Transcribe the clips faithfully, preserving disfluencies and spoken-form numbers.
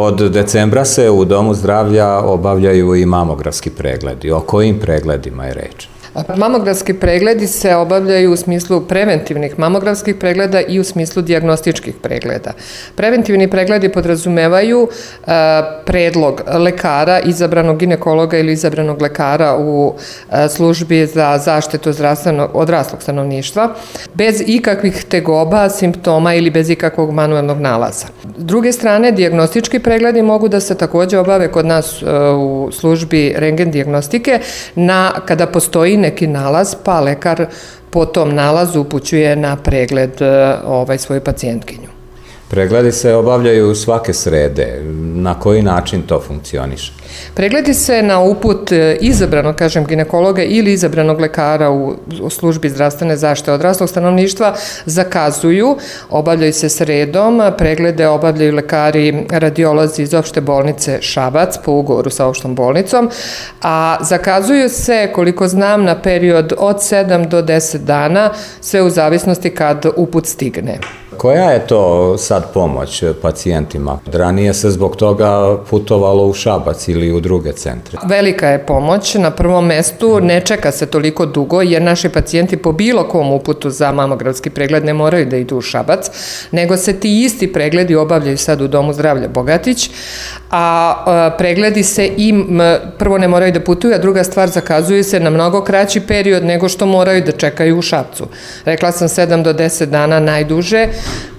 od decembra se u Domu zdravlja obavljaju i mamografski pregledi. O kojim pregledima je reč? Mamografski pregledi se obavljaju u smislu preventivnih mamografskih pregleda i u smislu dijagnostičkih pregleda. Preventivni pregledi podrazumevaju predlog lekara, izabranog ginekologa ili izabranog lekara u službi za zaštitu zdravstvenog odraslog stanovništva, bez ikakvih tegoba, simptoma ili bez ikakvog manuelnog nalaza. S druge strane, dijagnostički pregledi mogu da se takođe obave kod nas u službi rentgen dijagnostike na, kada postoji neki nalaz, pa lekar po tom nalazu upućuje na pregled ovaj, svoju pacijentkinju. Pregledi se obavljaju svake srede. Na koji način to funkcioniše? Pregledi se na uput izabranog, kažem, ginekologa ili izabranog lekara u, u službi zdravstvene zaštite odraslog stanovništva zakazuju, obavljaju se sredom, preglede obavljaju lekari radiolozi iz opšte bolnice Šabac po ugovoru sa opštom bolnicom, a zakazuju se, koliko znam, na period od sedam do deset dana, sve u zavisnosti kad uput stigne. Koja je to sad pomoć pacijentima? Ranije se zbog toga putovalo u Šabac ili u druge centre. Velika je pomoć. Na prvom mestu ne čeka se toliko dugo jer naši pacijenti po bilo kom uputu za mamografski pregled ne moraju da idu u Šabac, nego se ti isti pregledi obavljaju sad u Domu zdravlja Bogatić, a pregledi se i prvo ne moraju da putuju, a druga stvar, zakazuju se na mnogo kraći period nego što moraju da čekaju u Šapcu. Rekla sam sedam do deset dana najduže,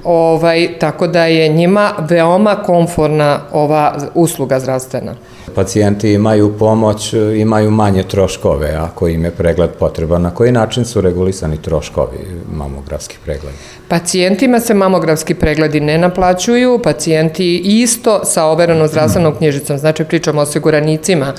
ovaj, tako da je njima veoma komforna ova usluga zdravstvena. Pacijenti imaju pomoć, imaju manje troškove ako im je pregled potreban. Na koji način su regulisani troškovi mamografskih pregleda? Pacijentima se mamografski pregledi ne naplaćuju, pacijenti isto sa overenom zdravstvenom knjižicom, znači pričamo o osiguranicima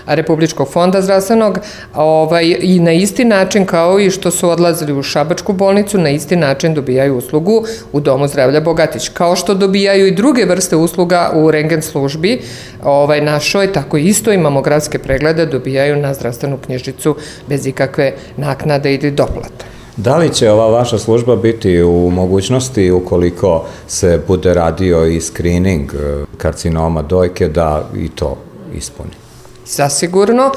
Republičkog fonda zdravstvenog, ovaj, i na isti način kao i što su odlazili u Šabačku bolnicu, na isti način dobijaju uslugu u Domu zdravlja Bogatić. Kao što dobijaju i druge vrste usluga u rentgen službi ovaj, našoj, tako isto i mamografske preglede dobijaju na zdravstvenu knjižicu bez ikakve naknade ili doplate. Da li će ova vaša služba biti u mogućnosti, ukoliko se bude radio i screening karcinoma dojke, da i to ispuni? Zasigurno.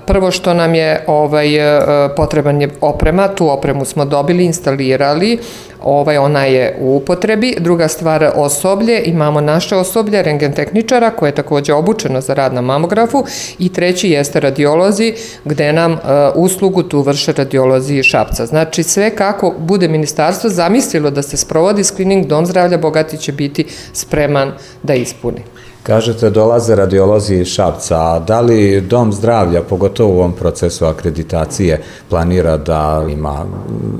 Prvo što nam je ovaj, potreban je oprema, tu opremu smo dobili, instalirali, ovaj, ona je u upotrebi. Druga stvar, osoblje, imamo naše osoblje, rentgen tehničara koje je takođe obučeno za rad na mamografu, i treći jeste radiolozi gde nam uh, uslugu tu vrše radiolozi iz Šapca. Znači sve kako bude ministarstvo zamislilo da se sprovodi screening, Dom zdravlja Bogatić će biti spreman da ispuni. Kažete, dolaze radiolozi iz Šapca, a da li Dom zdravlja, pogotovo u ovom procesu akreditacije, planira da ima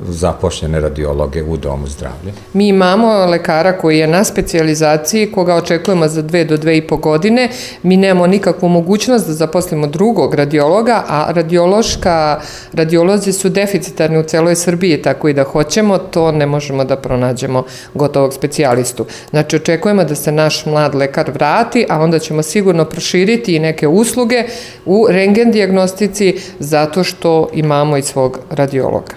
zapošljene radiologe u Domu zdravlja? Mi imamo lekara koji je na specijalizaciji, koga očekujemo za dve do dve i po godine. Mi nemamo nikakvu mogućnost da zaposlimo drugog radiologa, a radiološka, radiolozi su deficitarni u celoj Srbiji, tako i da hoćemo, to ne možemo da pronađemo gotovog specijalistu. Znači, očekujemo da se naš mlad lekar vrati, a onda ćemo sigurno proširiti i neke usluge u rentgen dijagnostici zato što imamo i svog radiologa.